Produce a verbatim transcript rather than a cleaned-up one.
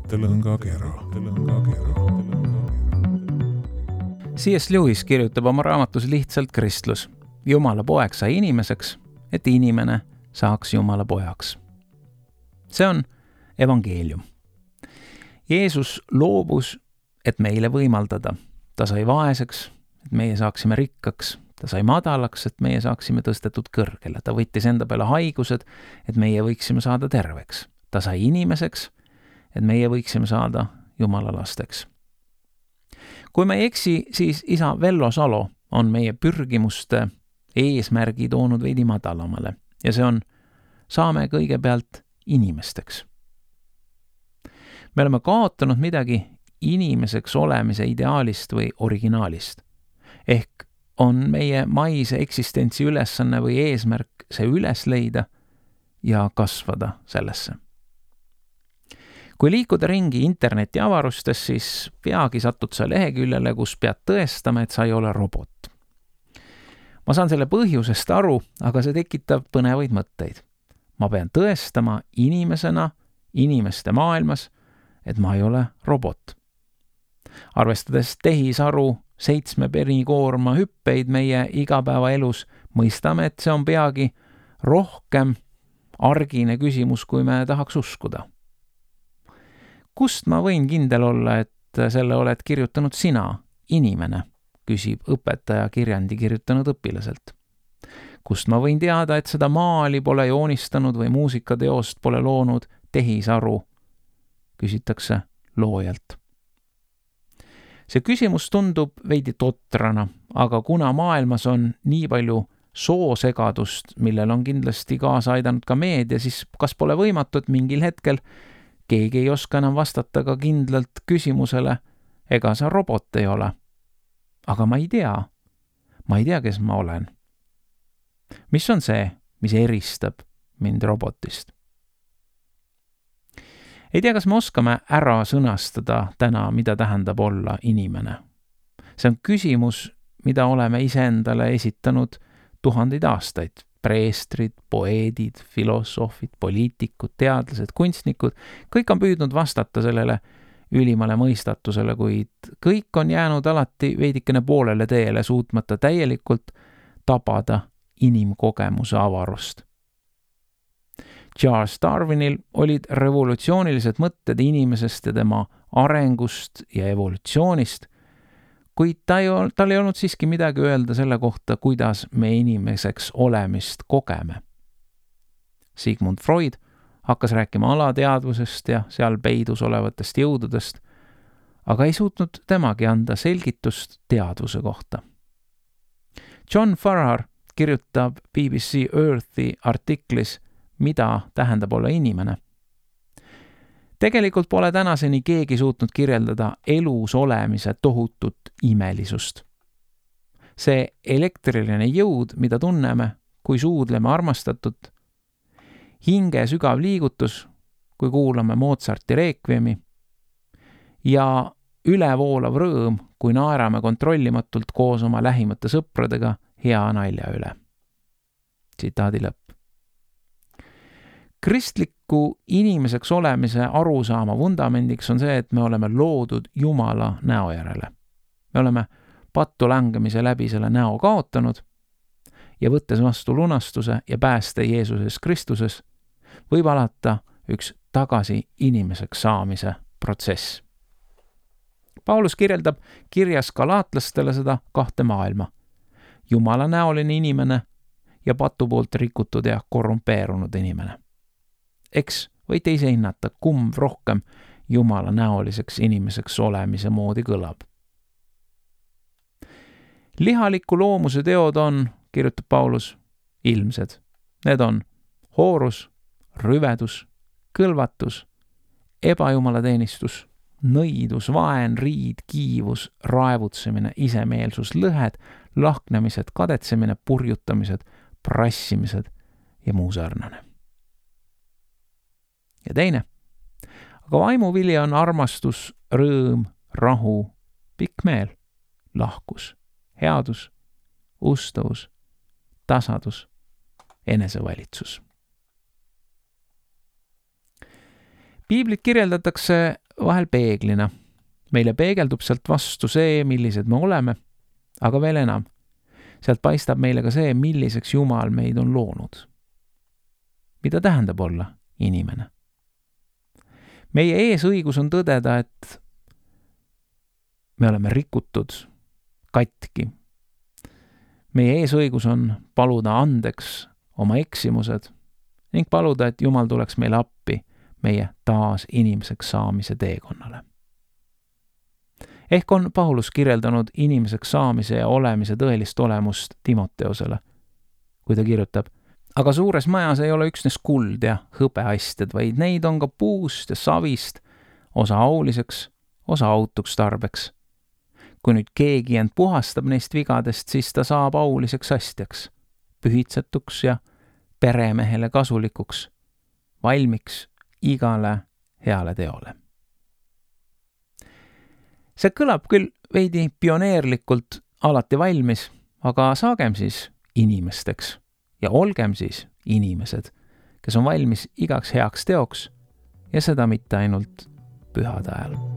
mõttelõngakera. C S Lewis kirjutab oma raamatus Lihtsalt kristlus. Jumala poeg sai inimeseks, et inimene saaks Jumala pojaks. See on evangeelium. Jeesus loobus, et meile võimaldada. Ta sai vaeseks, et meie saaksime rikkaks. Ta sai madalaks, et meie saaksime tõstetud kõrgele. Ta võttis enda peale haigused, et meie võiksime saada terveks. Ta sai inimeseks, et meie võiksime saada Jumala lasteks. Kui me ei eksi, siis isa Vello Salo on meie pürgimuste eesmärgi toonud veidi madalamale ja see on saame kõigepealt inimesteks. Me oleme kaotanud midagi inimeseks olemise ideaalist või originaalist. Ehk on meie maise eksistentsi ülesanne või eesmärk see üles leida ja kasvada sellesse. Kui liikuda ringi interneti avarustes, siis peagi satud sa leheküljele, kus pead tõestama, et sa ei ole robot. Ma saan selle põhjusest aru, aga see tekitab põnevaid mõtteid. Ma pean tõestama inimesena, inimeste maailmas, et ma ei ole robot. Arvestades tehisaru seitsme penikoorma hüppeid meie igapäevaelus, mõistame, et see on peagi rohkem argine küsimus, kui me tahaks uskuda. Kust ma võin kindel olla, et selle oled kirjutanud sina, inimene, küsib õpetaja kirjandi kirjutanud õpilaselt. Kust ma võin teada, et seda maali pole joonistanud või muusikateost pole loonud tehisaru, küsitakse loojalt. See küsimus tundub veidi totrana, aga kuna maailmas on nii palju soosegadust, millel on kindlasti kaasa aidanud ka meedia, siis kas pole võimatu, et mingil hetkel keegi ei oska enam vastata ka kindlalt küsimusele, ega sa robot ei ole. Aga ma ei tea. Ma ei tea, kes ma olen. Mis on see, mis eristab mind robotist? Ei tea, kas me oskame ära sõnastada täna, mida tähendab olla inimene. See on küsimus, mida oleme iseendale esitanud tuhandeid aastaid. Preestrid, poeedid, filosoofid, poliitikud, teadlased, kunstnikud, kõik on püüdnud vastata sellele ülimale mõistatusele, kuid kõik on jäänud alati veidikene poolele teele, suutmata täielikult tabada inimkogemuse avarust. Charles Darwinil olid revolutsioonilised mõtted inimesest ja tema arengust ja evolutsioonist, kuid ta ei, tal ei olnud siiski midagi öelda selle kohta, kuidas me inimeseks olemist kogeme. Sigmund Freud hakkas rääkima alateadvusest ja seal peidus olevatest jõududest, aga ei suutnud temagi anda selgitust teadvuse kohta. John Farrar kirjutab B B C Earthi artiklis, mida tähendab olla inimene. Tegelikult pole tänaseni keegi suutnud kirjeldada elus olemise tohutut imelisust. See elektriline jõud, mida tunneme, kui suudleme armastatut, hinge sügav liigutus, kui kuulame Mozarti reekviemi ja ülevoolav rõõm, kui naerame kontrollimatult koos oma lähimate sõpradega hea nalja üle. Tsitaadi lõpp. Kristliku inimeseks olemise arusaama vundamendiks on see, et me oleme loodud Jumala näo järele. Me oleme pattu langemise läbi selle näo kaotanud ja võttes vastu lunastuse ja pääste Jeesuses Kristuses, võib alata üks tagasi inimeseks saamise protsess. Paulus kirjeldab kirjas galaatlastele seda kahte maailma. Jumala näoline inimene ja patu poolt rikutud ja korrumpeerunud inimene. Eks võite ise hinnata, kumb rohkem Jumala näoliseks inimeseks olemise moodi kõlab. Lihaliku loomuse teod on, kirjutab Paulus, ilmsed. Need on hoorus, rüvedus, kõlvatus, ebajumalateenistus, nõidus, vaen, riid, kiivus, raevutsemine, isemeelsus, lõhed, lahknemised, kadetsemine, purjutamised, prassimised ja muu sarnane. Ja teine, aga vaimuvili on armastus, rõõm, rahu, pikk meel, lahkus, headus, ustavus, tasadus, enesevalitsus. Piiblit kirjeldatakse vahel peeglina. Meile peegeldub sealt vastu see, millised me oleme, aga veel enam. Sealt paistab meile ka see, milliseks Jumal meid on loonud. Mida tähendab olla inimene? Meie eesõigus on tõdeda, et me oleme rikutud, katki. Meie eesõigus on paluda andeks oma eksimused ning paluda, et Jumal tuleks meile appi meie taas inimeseks saamise teekonnale. Ehk on Paulus kirjeldanud inimeseks saamise ja olemise tõelist olemust Timoteosele, kui ta kirjutab, aga suures majas ei ole üksnes kuld ja hõbeastjad, vaid neid on ka puust ja savist, osa auliseks, osa autuks tarbeks. Kui nüüd keegi end puhastab neist vigadest, siis ta saab auliseks astjaks, pühitsetuks ja peremehele kasulikuks, valmiks igale heale teole. See kõlab küll veidi pioneerlikult alati valmis, aga saagem siis inimesteks ja olgem siis inimesed, kes on valmis igaks heaks teoks ja seda mitte ainult pühade ajal.